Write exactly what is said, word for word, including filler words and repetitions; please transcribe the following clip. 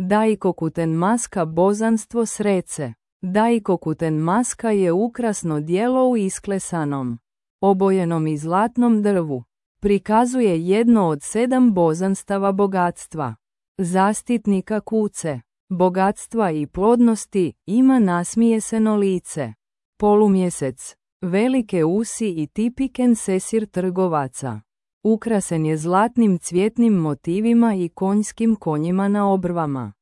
Daikokuten maska bozanstvo srece. Daikokuten maska je ukrasno djelo u isklesanom, obojenom i zlatnom drvu. Prikazuje jedno od sedam bozanstava bogatstva, zastitnika kuce, bogatstva i plodnosti, ima nasmijeseno lice, polumjesec, velike usi i tipiken sesir trgovaca. Ukrasen je zlatnim cvjetnim motivima i konjskim konjima na obrvama.